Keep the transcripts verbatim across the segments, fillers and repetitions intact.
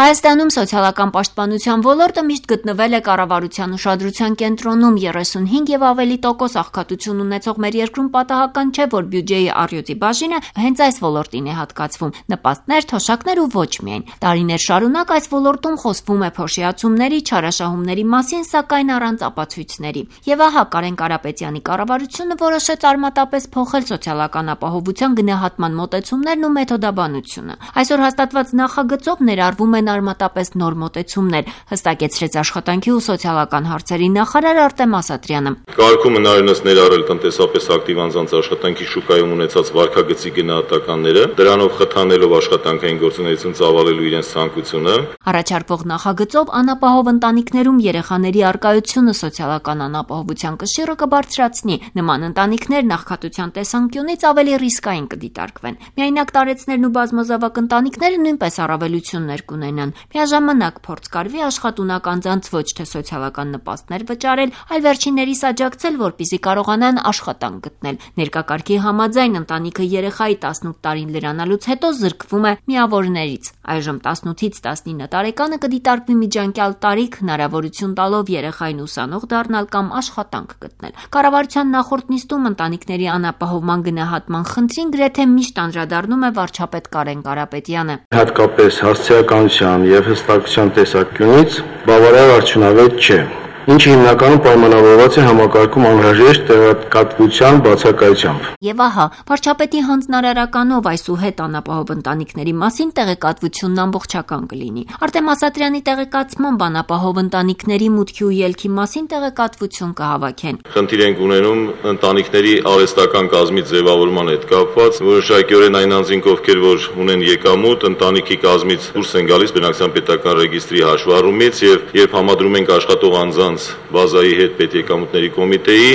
Հայաստանում սոցիալական պաշտպանության ոլորտը միշտ գտնվել է կառավարության ուշադրության կենտրոնում. երեսունհինգ եւ ավելի տոկոս աղքատություն ունեցող մեր երկրում պատահական չէ, որ բյուջեի առյուծի բաժինը հենց այս ոլորտին է հատկացվում. նպաստներ, թոշակներ ու ոչ միայն. տարիներ շարունակ այս ոլորտում խոսվում է փոշիացումների, չարաշահումների մասին, սակայն առանց ապացույցների. Եվ ահա Կարեն Կարապետյանի կառավարությունը որոշեց արմատապես փոխել սոցիալական ապահովության գնահատման մոտեցումներն ու մեթոդաբանությունը. Այսօր հաստատված նախագծով ներառվում են արմատապես նոր մոտեցումներ, հստակեցրեց աշխատանքի ու սոցիալական հարցերի նախարար Արտեմ Ասատրյանը. Կարգում հնարինս ներառել տնտեսապես ակտիվ անձանց աշխատանքի շուկայում ունեցած վարքագծի գնահատականները, դրանով խթանելով աշխատանքային գործունեություն ծավալելու իրենց ցանկությունը. Առաջարկվող նախագծով անապահով ընտանիքներում երեխաների առկայությունը սոցիալական անապահովության կշիռը կբարձրացնի. նման ընտանիքներ աղքատության տեսանկյունից ավելի ռիսկային կդիտարկվեն. Միայնակ տարեցներն ու բազմազավակ ընտանիքները նույնպես առավելություններ կունենան. Միաժամանակ փորձ կարվի աշխատունակ անձանց ոչ թե սոցիալական նպաստներ վճարել, այլ վերջիններիս աջակցել, որպեսզի կարողանան աշխատանք գտնել. Ներկա կարգի համաձայն ընտանիքը երեխայի տասնութ տարին լրանալուց հետո զրկվում է միավորներից. Այժմ տասնութից տասնինը տարեկանը կդիտարկվի միջանկյալ տարիք, հնարավորություն տալով երեխային ուսանող դառնալ կամ աշխատանք գտնել. Կառավարության նախորդ նիստում ընտանիքների անապահովման գնահատման խնդրին գրեթե միշտ անդրադառնում է վարչապետ Կարեն Կարապետյանը. Հատկապես հասցեականության եւ հստակության տեսանկյունից բավարար արդյունավետ չէ, ինչը հիմնականում պայմանավորված է համակարգում անհրաժեշտ տեղեկատվության բացակայությամբ. Եվ ահա, վարչապետի հանձնարարականով այսուհետ անապահով ընտանիքների մասին տեղեկատվությունն ամբողջական կլինի. Արտեմ Ասատրյանի տեղեկացմամբ անապահով ընտանիքների մուտքի ու ելքի մասին տեղեկատվություն կհավաքեն. Խնդիր ենք ունենում ընտանիքների արհեստական կազմի ձևավորման հետ կապված, որոշակիորեն այն անձինք, ովքեր որ ունեն եկամուտ, ընտանիքի կազմից դուրս են գալիս բնակչության պետական ռեգիստրի հաշվառումից եւ երբ համադրում ենք աշխատող անձանց բազայի հետ պետեկամուտների կոմիտեի,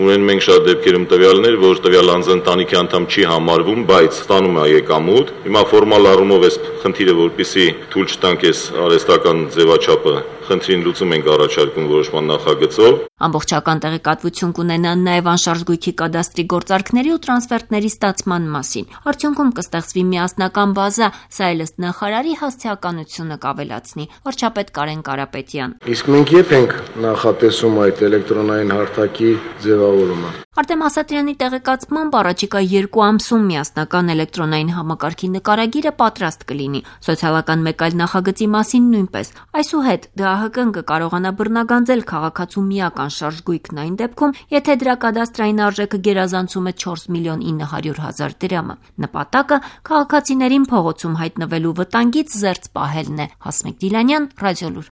ունեն մենք շատ դեպքերում տվյալներ, որ տվյալ անձը ընտանիքի անդամ չի համարվում, բայց ստանում է եկամուտ. Հիմա ֆորմալ առումով էս խնդիրը, որպեսզի թույլ չտանք էս արհեստական ձևաչափը խնդրին լուծում ենք առաջարկում որոշման նախագծով. Ամբողջական տեղեկատվություն կունենան նաև անշարժ գույքի կադաստրի գործարքների ու տրանսֆերտների ստացման մասին. Արդյունքում կստեղծվի միասնական բազա, սա էլ ըստ նախարարի հասցեականությունը կավելացնի. Վարչապետ Կարեն Կարապետյան. Իսկ մենք երբ ենք նախատեսում այդ էլեկտրոնային հարթակի ձևավորումը? Արտեմ Ասատրյանի տեղեկացմամբ առաջիկա երկու ամսում միասնական էլեկտրոնային համակարգի նկարագիրը պատրաստ կլինի. Սոցիալական մեկ այլ նախագծի մասին նույնպես. Այսուհետ ԴԱՀԿ-ն կկարողանա բռնագանձել քաղաքացու միակ անշարժ գույքն այն դեպքում, եթե դրա կադաստրային արժեքը գերազանցում է չորս միլիոն ինը հարյուր հազար դրամը։ Նպատակը քաղաքացիներին փողոցում հայտնվելու վտանգից զերծ պահելն է։ Հասմիկ Դիլանյան, Ռադիոլուր։